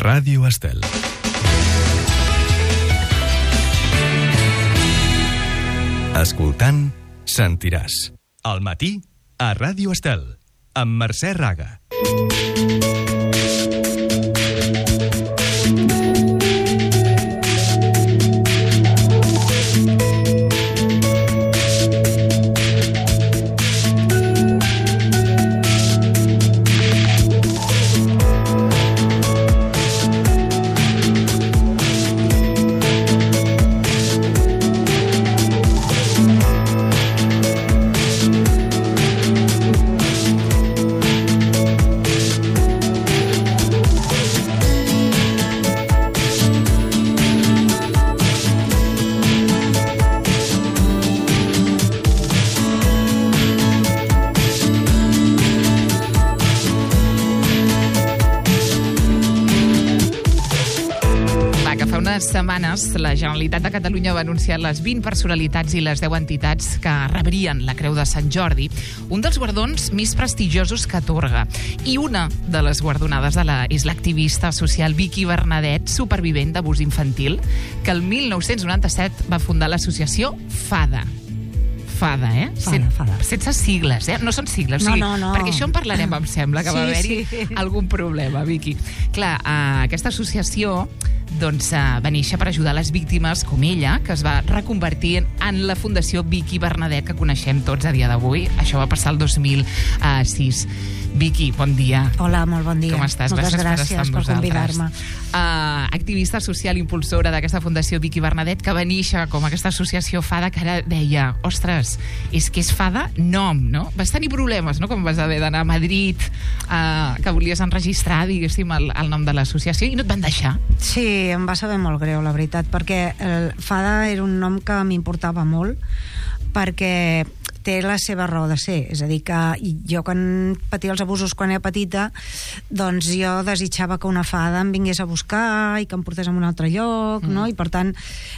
Ràdio Estel. Escoltant, sentiràs. Al matí, a Ràdio Estel, amb Mercè Raga. Setmanes, la Generalitat de Catalunya va anunciar les 20 personalitats i les 10 entitats que rebrien la Creu de Sant Jordi, un dels guardons més prestigiosos que atorga. I una de les guardonades és l'activista social Vicky Bernadet, supervivent d'abús infantil, que el 1997 va fundar l'associació FADA. FADA, eh? FADA. Sense sigles, eh? No són sigles. No. Perquè això en parlarem, em sembla, que va haver-hi algun problema, Vicky. Clar, aquesta associació va néixer per ajudar les víctimes com ella, que es va reconvertir en la Fundació Vicky Bernadet, que coneixem tots a dia d'avui. Això va passar el 2006. Vicky, bon dia. Hola, molt bon dia. Com estàs? Moltes gràcies per convidar-me. Activista social impulsora d'aquesta Fundació Vicky Bernadet, que va néixer com aquesta associació FADA, que ara deia, ostres, és que és FADA nom, no? Vas tenir problemes, no?, com vas haver d'anar a Madrid, que volies enregistrar, diguéssim, el nom de l'associació, i no et van deixar. Sí, em va saber molt greu, la veritat, perquè el FADA era un nom que m'importava molt, perquè té la seva raó de ser. És a dir, que jo quan patia els abusos quan era petita, doncs jo desitjava que una fada em vingués a buscar i que em portés a un altre lloc, no? I per tant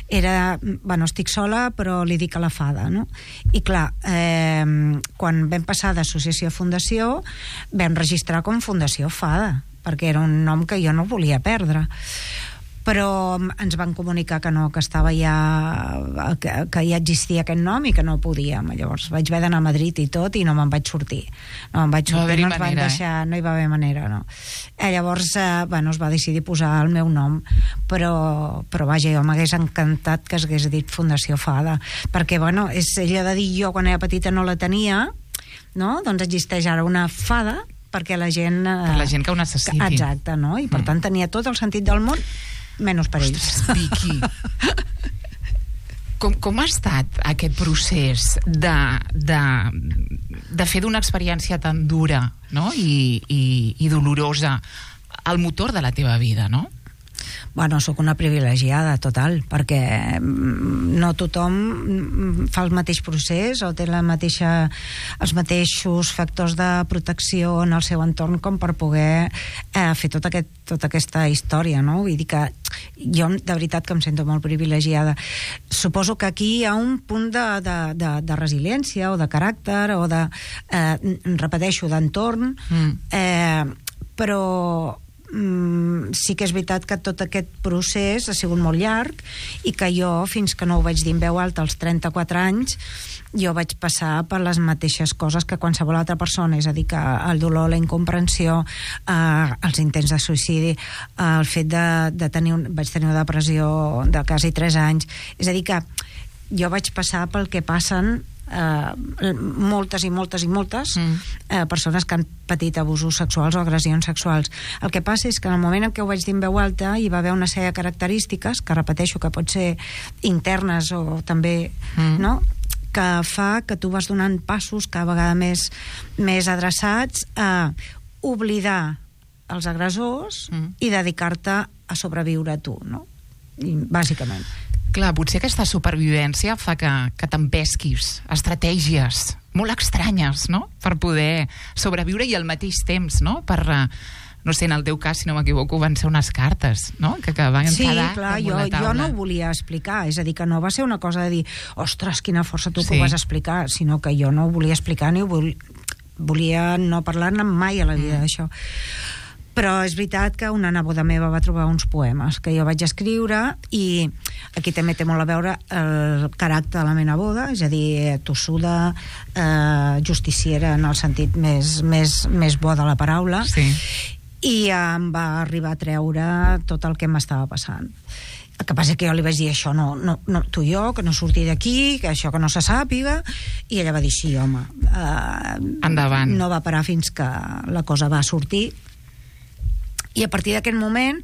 era, bueno, estic sola però li dic a la fada, no? I clar, quan vam passar d'associació a fundació vam registrar com Fundació Fada, perquè era un nom que jo no volia perdre, però ens van comunicar que no, que estava ja, que ja existia aquest nom i que no podíem. Llavors vaig haver d'anar a Madrid i tot i no me'n vaig sortir. No ens van deixar, no hi va haver manera, no. Llavors, bueno, es va decidir posar el meu nom, però vaja, jo m'hagués encantat que s'hagués dit Fundació Fada, perquè, bueno, és ella de dir jo quan era petita no la tenia, no? Doncs existeix ara una fada perquè la gent... Per la gent que ho necessiti. Exacte, no? I per tant tenia tot el sentit del món, menys per ells. Ostres, Vicky, com ha estat aquest procés de fer d'una experiència tan dura, no?, i dolorosa el motor de la teva vida, no? Bueno, sóc una privilegiada total, perquè no tothom fa el mateix procés o té els mateixos factors de protecció en el seu entorn com per poder fer tota aquesta història, no? Vull dir que jo de veritat que em sento molt privilegiada. Suposo que aquí hi ha un punt de resiliència o de caràcter o de, repeteixo, d'entorn, però sí que és veritat que tot aquest procés ha sigut molt llarg i que jo, fins que no ho vaig dir en veu alta als 34 anys, jo vaig passar per les mateixes coses que qualsevol altra persona, és a dir, que el dolor, la incomprensió, els intents de suïcidi, el fet de tenir vaig tenir una depressió de quasi 3 anys, és a dir que jo vaig passar pel que passen moltes persones que han patit abusos sexuals o agressions sexuals. El que passa és que en el moment en què ho vaig dir en veu alta hi va haver una sèrie de característiques que repeteixo que pot ser internes o també, no?, que fa que tu vas donant passos cada vegada més adreçats a oblidar els agressors i dedicar-te a sobreviure a tu, no? I, bàsicament. Clar, potser aquesta supervivència fa que t'empesquis estratègies molt estranyes, no?, per poder sobreviure i al mateix temps, no?, per... no sé, en el teu cas, si no m'equivoco, van ser unes cartes, no?, que van quedar clar, damunt la taula. Jo no ho volia explicar, és a dir, que no va ser una cosa de dir, ostres, quina força tu que ho vas explicar, sinó que jo no ho volia explicar ni ho volia no parlar-ne mai a la vida d'això. Però és veritat que una neboda meva va trobar uns poemes que jo vaig escriure, i aquí també té molt a veure el caràcter de la meva neboda, és a dir, tossuda, justiciera en el sentit més bo de la paraula, Sí. i em va arribar a treure tot el que m'estava passant. El que passa que jo li vaig dir, això no, tu i jo, que no surti d'aquí, que això que no se sàpiga, i ella va dir, sí, home, endavant. no va parar fins que la cosa va sortir, i a partir d'aquest moment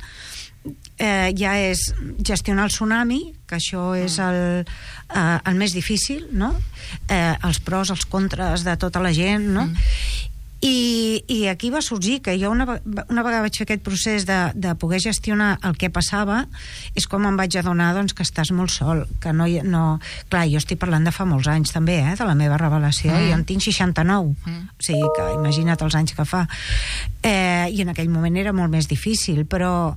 ja és gestionar el tsunami, que això és el més difícil, no? Els pros, els contres de tota la gent, no? I aquí va sorgir que jo una vegada vaig fer aquest procés de poder gestionar el que passava, és com em vaig adonar, doncs, que estàs molt sol, que no... Clar, jo estic parlant de fa molts anys també, de la meva revelació, i jo en tinc 69, o sigui que imagina't els anys que fa, i en aquell moment era molt més difícil, però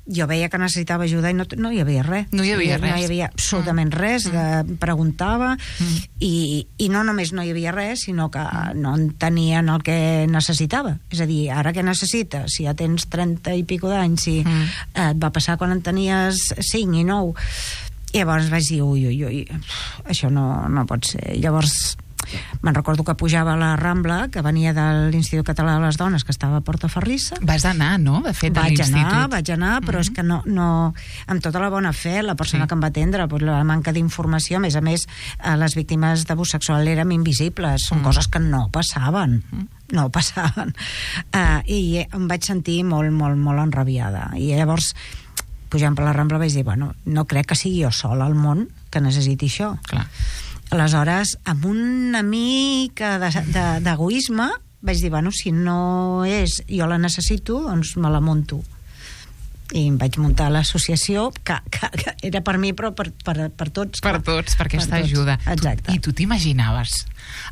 jo veia que necessitava ajuda i no hi havia res. No hi havia res. No hi havia absolutament res. Preguntava i no només no hi havia res, sinó que no entenien el que necessitava. És a dir, ara què necessites? Si ja tens 30 i pico d'anys, si et va passar quan en tenies 5 i 9. I llavors vaig dir, ui, això no pot ser. Llavors me'n recordo que pujava a la Rambla, que venia de l'Institut Català de les Dones, que estava a Portaferrissa. Vas anar, no?, de fet, a l'institut. Vaig anar, però és que no, amb tota la bona fe, la persona que em va atendre, la manca d'informació, a més, les víctimes d'abús sexual eren invisibles, són coses que no passaven. No passaven. I em vaig sentir molt, molt, molt enrabiada. I llavors, pujant per la Rambla, vaig dir, bueno, no crec que sigui jo sola al món que necessiti això. Clar. Aleshores, amb una mica d'egoisme, vaig dir, bueno, si no és jo la necessito, doncs me la munto. I em vaig muntar l'associació, que era per mi, però per tots. Per tots, per aquesta ajuda. Exacte. I tu t'imaginaves,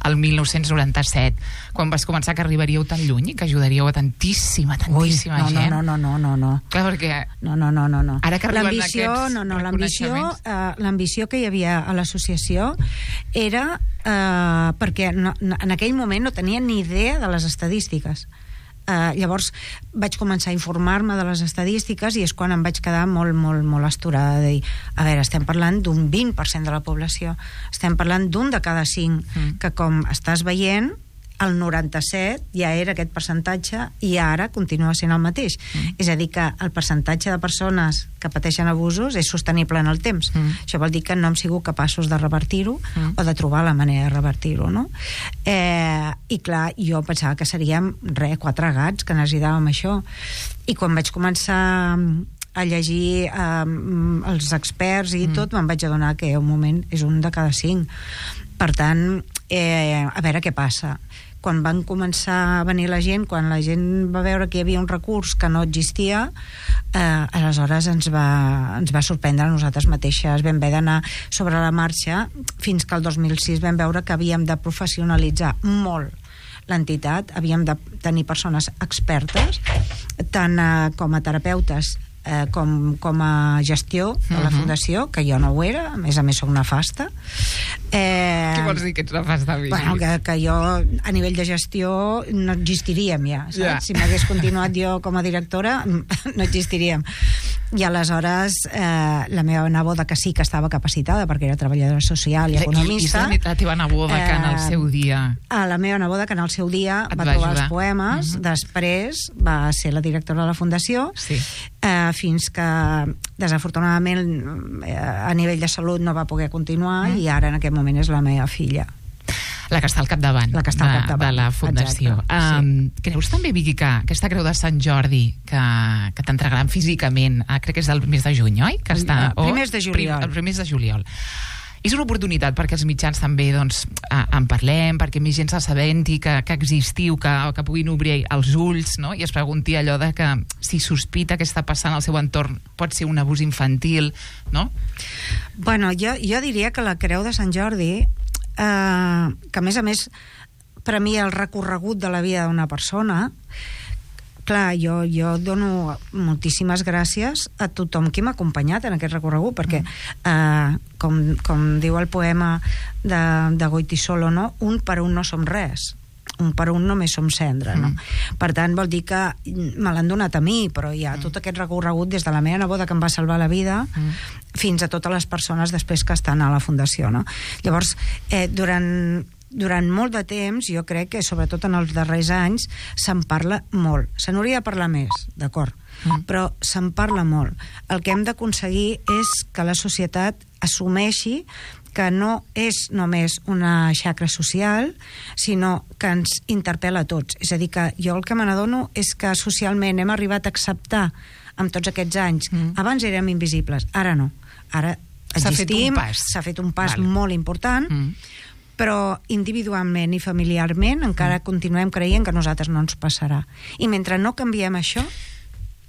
el 1997, quan vas començar, que arribaríeu tan lluny i que ajudaríeu a tantíssima gent? No. Clar, perquè... No. Ara que arriben aquests reconeixements... L'ambició que hi havia a l'associació era perquè en aquell moment no tenia ni idea de les estadístiques. Llavors vaig començar a informar-me de les estadístiques, i és quan em vaig quedar molt, molt, molt astorada de dir, a veure, estem parlant d'un 20% de la població, estem parlant d'un de cada 5, que com estàs veient, el 97 ja era aquest percentatge i ara continua sent el mateix. És a dir, que el percentatge de persones que pateixen abusos és sostenible en el temps. Això vol dir que no hem sigut capaços de revertir-ho o de trobar la manera de revertir-ho, no? I clar, jo pensava que seríem 4 gats que necessitàvem això. I quan vaig començar a llegir els experts i tot, me'n vaig adonar que un moment és un de cada 5. Per tant, a veure què passa. Quan van començar a venir la gent, quan la gent va veure que hi havia un recurs que no existia, aleshores ens va sorprendre a nosaltres mateixes. Vam haver d'anar sobre la marxa fins que el 2006 vam veure que havíem de professionalitzar molt l'entitat, havíem de tenir persones expertes, tant com a terapeutes com a gestió de la fundació, que jo no ho era, a més soc nefasta. Què vols dir que ets nefasta? Bueno, que jo a nivell de gestió no existiríem ja, saps? Yeah. Si m'hagués continuat jo com a directora no existiríem. I aleshores la meva neboda, que sí que estava capacitada perquè era treballadora social i economista, i la teva neboda que en el seu dia la meva neboda que en el seu dia va trobar els poemes, després va ser la directora de la fundació, fins que desafortunadament a nivell de salut no va poder continuar, i ara en aquest moment és la meva filla, la que està al capdavant, de la fundació. Creus també, Vicky, que aquesta creu de Sant Jordi que t'entregaran físicament, crec que és del mes de juny, oi? Primers de juliol. El primers de juliol. És una oportunitat perquè els mitjans també en parlem, perquè més gent s'assabenti que existiu, que puguin obrir els ulls, no? I es pregunti allò de que si sospita que està passant al seu entorn pot ser un abús infantil, no? Bueno, jo diria que la creu de Sant Jordi, que a més per a mi el recorregut de la vida d'una persona, clar, jo dono moltíssimes gràcies a tothom qui m'ha acompanyat en aquest recorregut, perquè com diu el poema de Goitisolo, no? Un per un no som res. un per un només som cendra, no? Per tant, vol dir que me l'han donat a mi, però hi ha tot aquest recorregut des de la meva neboda, que em va salvar la vida, fins a totes les persones després que estan a la fundació, no? Llavors, durant molt de temps, jo crec que sobretot en els darrers anys se'n parla molt. Se n'hauria de parlar més, d'acord, però se'n parla molt. El que hem d'aconseguir és que la societat assumeixi que no és només una xacra social, sinó que ens interpel·la a tots. És a dir, que jo el que me n'adono és que socialment hem arribat a acceptar amb tots aquests anys. Abans érem invisibles, ara no. Ara existim, s'ha fet un pas molt important, però individualment i familiarment encara continuem creient que a nosaltres no ens passarà. I mentre no canviem això,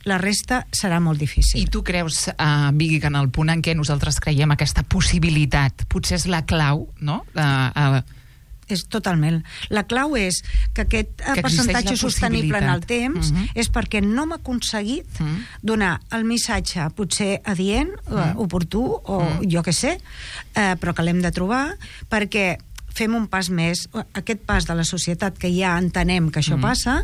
la resta serà molt difícil. I tu creus, Vicky, que en el punt en què nosaltres creiem aquesta possibilitat potser és la clau, no? És totalment. La clau és que aquest percentatge sostenible en el temps és perquè no hem aconseguit donar el missatge potser adient, oportú, o jo què sé, però que l'hem de trobar, perquè fem un pas més, aquest pas de la societat que ja entenem que això passa,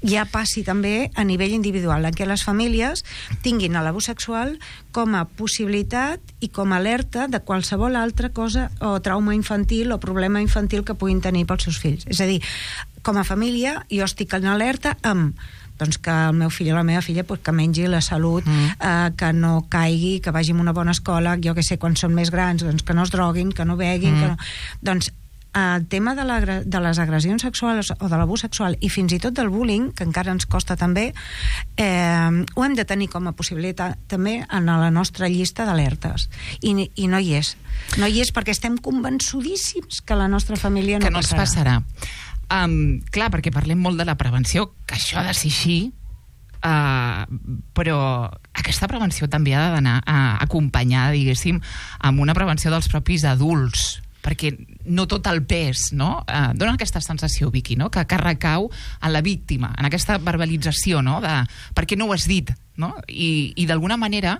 ja passi també a nivell individual, en què les famílies tinguin l'abús sexual com a possibilitat i com a alerta de qualsevol altra cosa o trauma infantil o problema infantil que puguin tenir pels seus fills. És a dir, com a família jo estic en alerta amb doncs que el meu fill o la meva filla que mengi la salut, que no caigui, que vagi a una bona escola, jo que sé, quan són més grans, doncs que no es droguin, que no beguin, que no... Doncs el tema de les agressions sexuals o de l'abús sexual i fins i tot del bullying, que encara ens costa també, ho hem de tenir com a possibilitat també en la nostra llista d'alertes. I no hi és. No hi és perquè estem convençudíssims que la nostra família no passarà. Que no ens passarà. Clar, perquè parlem molt de la prevenció, que això ha de ser així, però aquesta prevenció també ha d'anar acompanyada, diguéssim, amb una prevenció dels propis adults, perquè no tot el pes, no? Dona aquesta sensació, Vicky, no? Que recau en la víctima, en aquesta verbalització, no? De per què no ho has dit, no? I d'alguna manera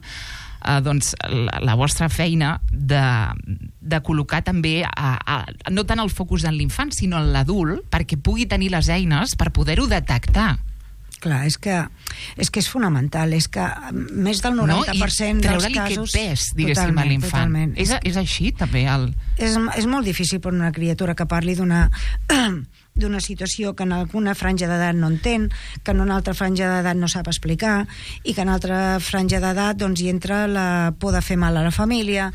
doncs la vostra feina de col·locar també no tant el focus en l'infant sinó en l'adult, perquè pugui tenir les eines per poder-ho detectar. Clar, és que és fonamental, és que més del 90% dels casos... aquest pes, diguéssim, a l'infant. És així, també? És molt difícil per una criatura que parli d'una situació que en alguna franja d'edat no entén, que en una altra franja d'edat no sap explicar, i que en altra franja d'edat doncs, hi entra la por de fer mal a la família.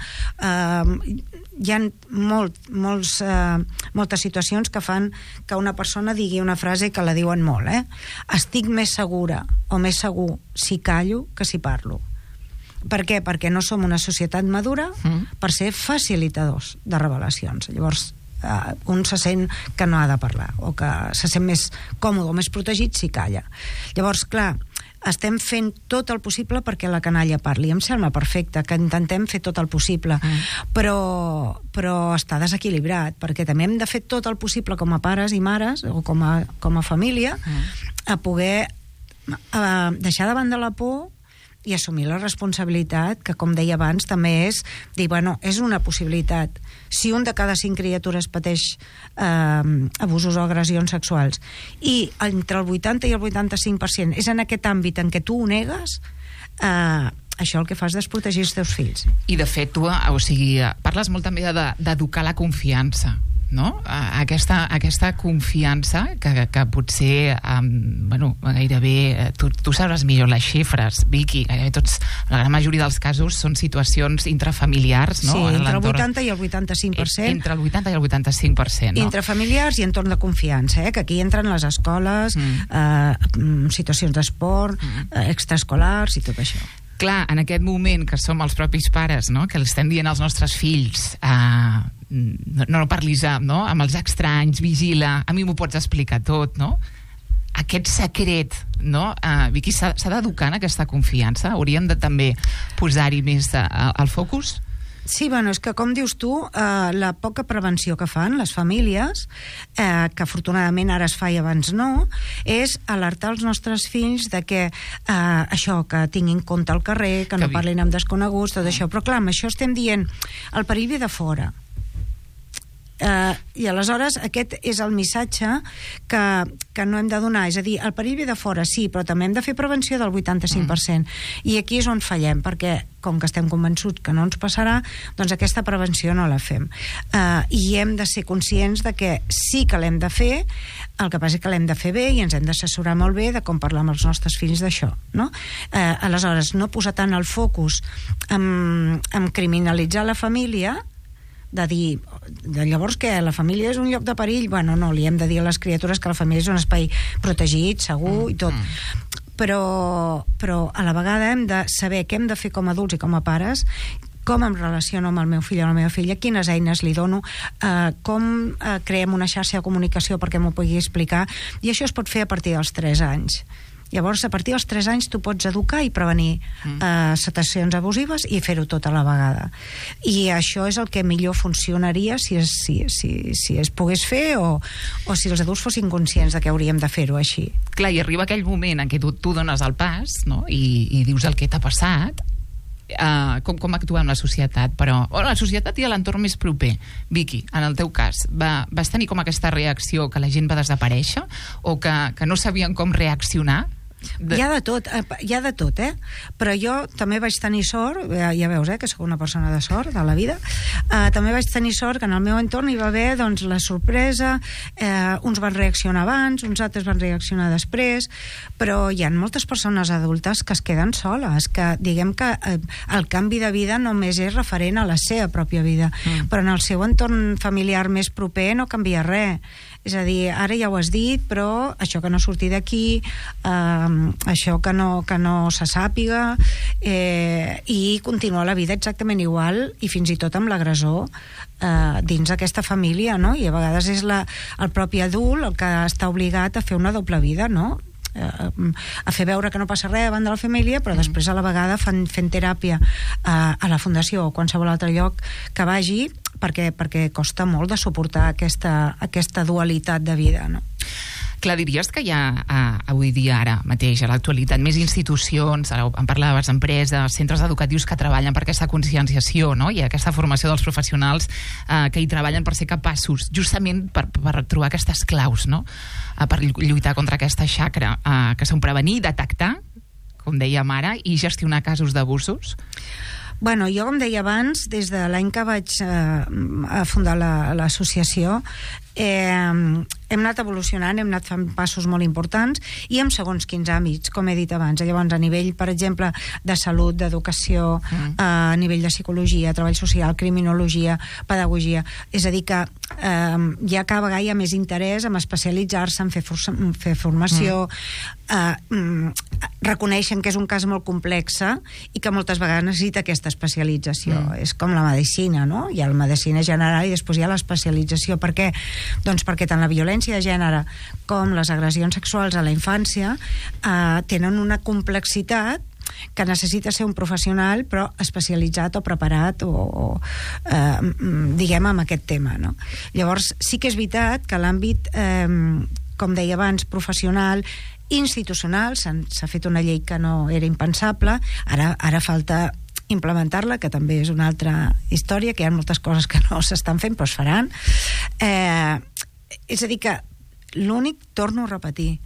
Hi ha moltes situacions que fan que una persona digui una frase que la diuen molt, estic més segura o més segur si callo que si parlo. Per què? Perquè no som una societat madura per ser facilitadors de revelacions. Llavors un se sent que no ha de parlar o que se sent més còmode o més protegit si calla. Llavors, clar, estem fent tot el possible perquè la canalla parli. Em sembla perfecte que intentem fer tot el possible, però està desequilibrat, perquè també hem de fer tot el possible com a pares i mares o com a família a poder deixar de banda la por i assumir la responsabilitat, que com deia abans també és dir, bueno, és una possibilitat. Si un de cada 5 criatures pateix abusos o agressions sexuals i entre el 80 i el 85% és en aquest àmbit en què tu ho negues, això el que fa és desprotegir els teus fills. I de fet tu, o sigui, parles molt també d'educar la confiança, no? Aquesta confiança que potser gairebé tu sabràs millor les xifres, Vicky, gairebé tots, la gran majoria dels casos són situacions intrafamiliars, no? Sí, entre el 80 i el 85%. Entre el 80 i el 85%, no? Intrafamiliars i entorn de confiança, que aquí entren les escoles, situacions d'esport, extraescolars i tot això. Clar, en aquest moment que som els propis pares, no? Que els estem dient als nostres fills no parlis amb els estranys, vigila, a mi m'ho pots explicar tot, no? Aquest secret, no? Vicky, s'ha d'educar en aquesta confiança? Hauríem de també posar-hi més al focus? Sí, bueno, és que com dius tu, la poca prevenció que fan les famílies, que afortunadament ara es fa i abans no, és alertar els nostres fills de que això, que tinguin compte al carrer, que no parlin amb desconeguts, tot això. Però clar, amb això estem dient, el perill ve de fora. I aleshores aquest és el missatge que no hem de donar, és a dir, el perill ve de fora, sí, però també hem de fer prevenció del 85%, i aquí és on fallem, perquè com que estem convençuts que no ens passarà, doncs aquesta prevenció no la fem, i hem de ser conscients de que sí que l'hem de fer, el que passa és que l'hem de fer bé i ens hem d'assessorar molt bé de com parlar amb els nostres fills d'això, no? Aleshores, no posar tant el focus en criminalitzar la família, de dir, llavors què, la família és un lloc de perill? Bueno, no, li hem de dir a les criatures que la família és un espai protegit, segur i tot. Però a la vegada hem de saber què hem de fer com a adults i com a pares, com em relaciono amb el meu fill o la meva filla, quines eines li dono, com creem una xarxa de comunicació perquè m'ho pugui explicar, i això es pot fer a partir dels 3 anys. Llavors, a partir dels 3 anys tu pots educar i prevenir situacions abusives i fer-ho tot a la vegada. I això és el que millor funcionaria si es pogués fer o si els adults fossin conscients de que hauríem de fer-ho així. Clar, i arriba aquell moment en què tu dones el pas, no? I dius el que t'ha passat. Com actuem la societat, però la societat i l'entorn més proper. Vicky, en el teu cas, vas tenir com aquesta reacció que la gent va desaparèixer o que no sabien com reaccionar? Hi ha de tot, però jo també vaig tenir sort, ja veus, que sóc una persona de sort de la vida, també vaig tenir sort que en el meu entorn hi va haver doncs, la sorpresa, uns van reaccionar abans, uns altres van reaccionar després, però hi ha moltes persones adultes que es queden soles, que diguem que el canvi de vida només és referent a la seva pròpia vida, però en el seu entorn familiar més proper no canvia res. És a dir, ara ja ho has dit, però això que no surti d'aquí, això que no se sàpiga, i continuar la vida exactament igual, i fins i tot amb l'agressor dins aquesta família, no? I a vegades és el propi adult el que està obligat a fer una doble vida, no? A fer veure que no passa res davant de la família, però després a la vegada fent teràpia a la fundació o qualsevol altre lloc que vagi, perquè costa molt de suportar aquesta dualitat de vida, no? Clar, diries que hi ha avui dia, ara mateix, a l'actualitat, més institucions, ara en parlaves, empreses, centres educatius que treballen per aquesta conscienciació, no? I aquesta formació dels professionals que hi treballen per ser capaços, justament per trobar aquestes claus, no? Per lluitar contra aquesta xacra, que són prevenir, detectar, com dèiem ara, i gestionar casos d'abusos? Bueno, jo, com deia abans, des de l'any que vaig fundar l'associació, hem anat evolucionant, hem anat fent passos molt importants i en segons quins àmbits, com he dit abans. Llavors, a nivell, per exemple, de salut, d'educació, a nivell de psicologia, treball social, criminologia, pedagogia. És a dir, que ja cada vegada hi ha més interès en especialitzar-se, en fer formació, reconeixen que és un cas molt complex i que moltes vegades necessita aquesta especialització. És com la medicina, no? Hi ha la medicina general i després hi ha l'especialització. Per què? Doncs perquè tant la violència de gènere com les agressions sexuals a la infància tenen una complexitat que necessita ser un professional però especialitzat o preparat o diguem amb aquest tema, no? Llavors sí que és veritat que l'àmbit com deia abans, professional, institucional, s'ha fet una llei que no era impensable, ara falta implementar-la, que també és una altra història, que hi ha moltes coses que no s'estan fent però es faran. És a dir que l'únic, torno a repetir,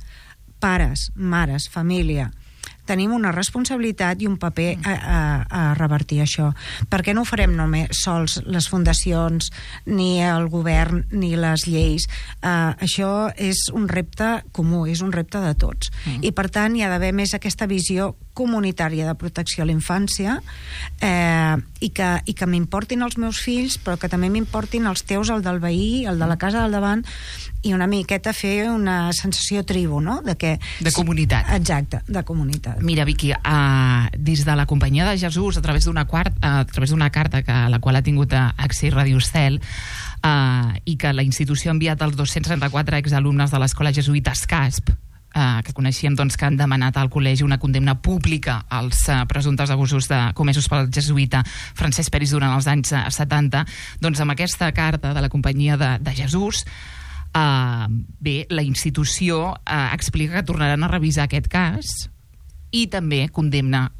pares, mares, família, tenim una responsabilitat i un paper a revertir això. Per què no ho farem només sols les fundacions, ni el govern, ni les lleis? Això és un repte comú, és un repte de tots. I per tant hi ha d'haver més aquesta visió comunitària de protecció a la infància i que m'importin els meus fills, però que també m'importin els teus, el del veí, el de la casa del davant, i una miqueta fer una sensació tribu, no? De comunitat. Exacte, de comunitat. Mira, Vicky, des de la Companyia de Jesús, a través d'una carta a la qual ha tingut accés Radio Estel, i que la institució ha enviat als 234 exalumnes de l'escola jesuïta Casp, que coneixíem que han demanat al col·legi una condemna pública als presumptes abusos comesos pel jesuïta Francesc Peris durant els anys 70, doncs amb aquesta carta de la Companyia de Jesús, bé, la institució explica que tornaran a revisar aquest cas i també condemna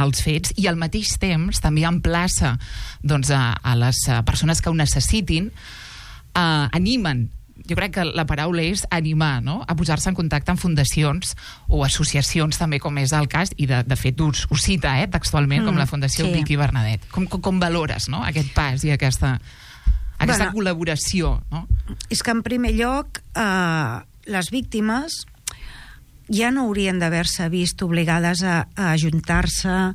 els fets i al mateix temps també emplaça a les persones que ho necessitin animen. Jo crec que la paraula és animar, no?, a posar-se en contacte amb fundacions o associacions, també, com és el cas, i de fet us cita textualment, com la Fundació Vicky Bernadet. Com valores, no?, aquest pas i aquesta col·laboració, no? És que, en primer lloc, les víctimes ja no haurien d'haver-se vist obligades a ajuntar-se,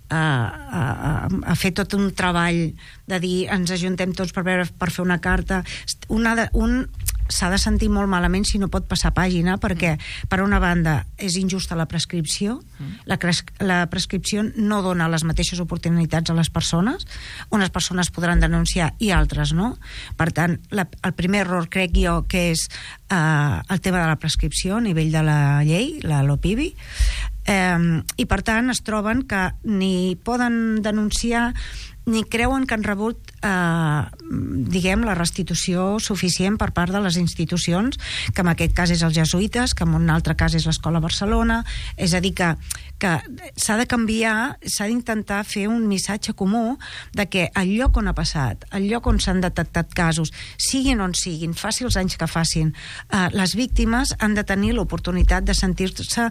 a fer tot un treball de dir ens ajuntem tots per fer una carta. Un s'ha de sentir molt malament si no pot passar pàgina, perquè per una banda és injusta la prescripció, la prescripció no dona les mateixes oportunitats a les persones, unes persones podran denunciar i altres no. Per tant, el primer error crec jo que és el tema de la prescripció a nivell de la llei, la LOPIBI, i per tant es troben que ni poden denunciar ni creuen que han rebut diguem, la restitució suficient per part de les institucions, que en aquest cas és els jesuïtes, que en un altre cas és l'Escola Barcelona. És a dir, que s'ha de canviar, s'ha d'intentar fer un missatge comú de que el lloc on ha passat, el lloc on s'han detectat casos, siguin on siguin, faci els anys que facin, les víctimes han de tenir l'oportunitat de sentir-se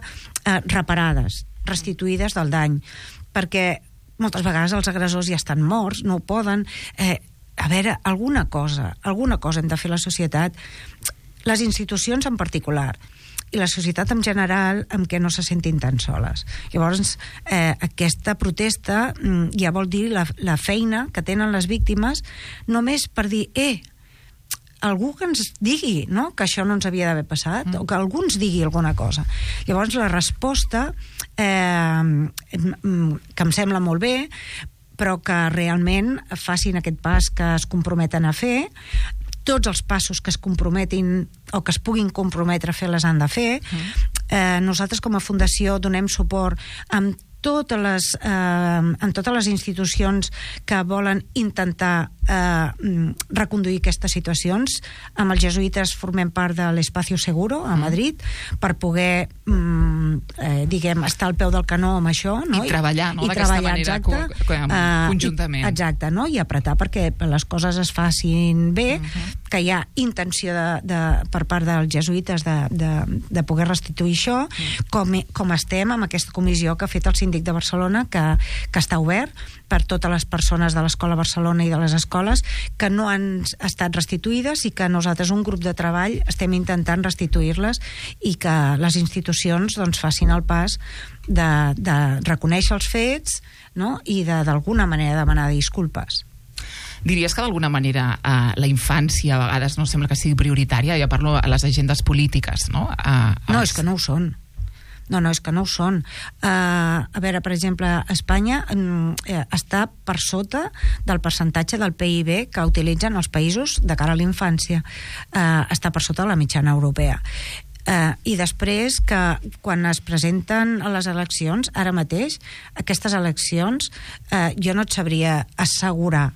reparades, restituïdes del dany, perquè moltes vegades els agressors ja estan morts, no ho poden. A veure, alguna cosa hem de fer la societat, les institucions en particular, i la societat en general, amb què no se sentin tan soles. Llavors, aquesta protesta ja vol dir la feina que tenen les víctimes, només per dir, algú que ens digui, no?, que això no ens havia d'haver passat, o que algú ens digui alguna cosa. Llavors la resposta que em sembla molt bé, però que realment facin aquest pas que es comprometen a fer. Tots els passos que es comprometin o que es puguin comprometre a fer les han de fer. Nosaltres com a fundació donem suport en totes les institucions que volen intentar reconduir aquestes situacions. Amb els jesuïtes formem part de l'Espacio Seguro a Madrid per poder diguem, estar al peu del canó amb això, no? I treballar, no?, d'aquesta manera conjuntament. Exacte, no? I apretar perquè les coses es facin bé, que hi ha intenció per part dels jesuïtes de poder restituir això, com estem amb aquesta comissió que ha fet el Síndic de Barcelona, que està obert per totes les persones de l'Escola Barcelona i de les escoles que no han estat restituïdes i que nosaltres, un grup de treball, estem intentant restituir-les i que les institucions doncs, facin el pas de reconèixer els fets, no?, i d'alguna manera demanar disculpes. Diries que d'alguna manera la infància a vegades no sembla que sigui prioritària? Ja parlo a les agendes polítiques, no? No, és que no ho són. No, és que no ho són. A veure, per exemple, Espanya està per sota del percentatge del PIB que utilitzen els països de cara a la infància. Està per sota de la mitjana europea. I després que quan es presenten a les eleccions, ara mateix, aquestes eleccions, jo no et sabria assegurar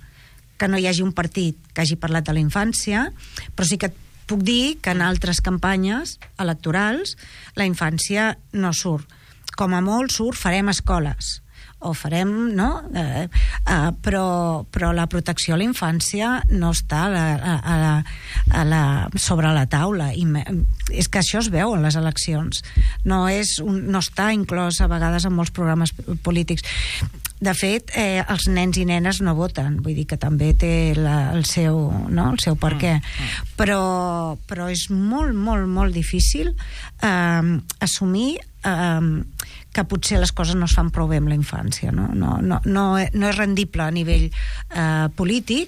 que no hi hagi un partit que hagi parlat de la infància, però sí que et puc dir que en altres campanyes electorals la infància no surt. Com a molt surt farem escoles, o farem, no? Però la protecció a la infància no està sobre la taula. I és que això es veu en les eleccions. No està inclòs a vegades en molts programes polítics. De fet, els nens i nenes no voten, vull dir que també té el seu per què. Però és molt, molt, molt difícil assumir que potser les coses no es fan prou bé amb la infància. No és rendible a nivell polític,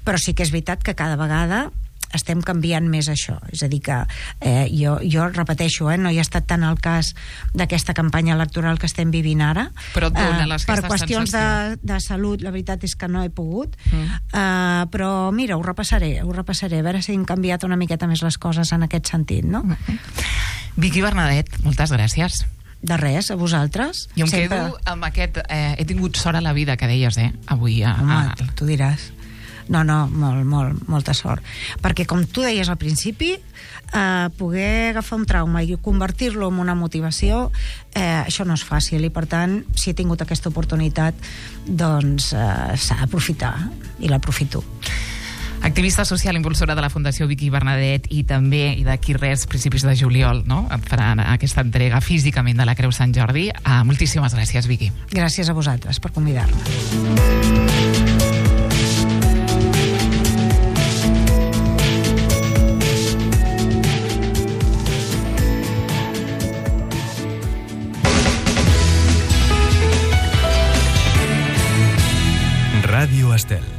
però sí que és veritat que cada vegada estem canviant més això. És a dir que jo repeteixo, no hi ha estat tant el cas d'aquesta campanya electoral que estem vivint ara, però per qüestions de salut la veritat és que no he pogut, però mira, ho repassaré, a veure si han canviat una miqueta més les coses en aquest sentit, no? Vicky Bernadet, moltes gràcies. De res, a vosaltres. Jo em quedo amb aquest he tingut sort a la vida que deies, avui. Home, tu diràs. No, molta sort. Perquè, com tu deies al principi, poder agafar un trauma i convertir-lo en una motivació, això no és fàcil, i per tant, si he tingut aquesta oportunitat, doncs s'ha d'aprofitar, i l'aprofito. Activista social, impulsora de la Fundació Vicky Bernadet i també, i d'aquí res, principis de juliol, no? Et faran aquesta entrega físicament de la Creu Sant Jordi. Moltíssimes gràcies, Vicky. Gràcies a vosaltres per convidar-me. Ràdio Estel.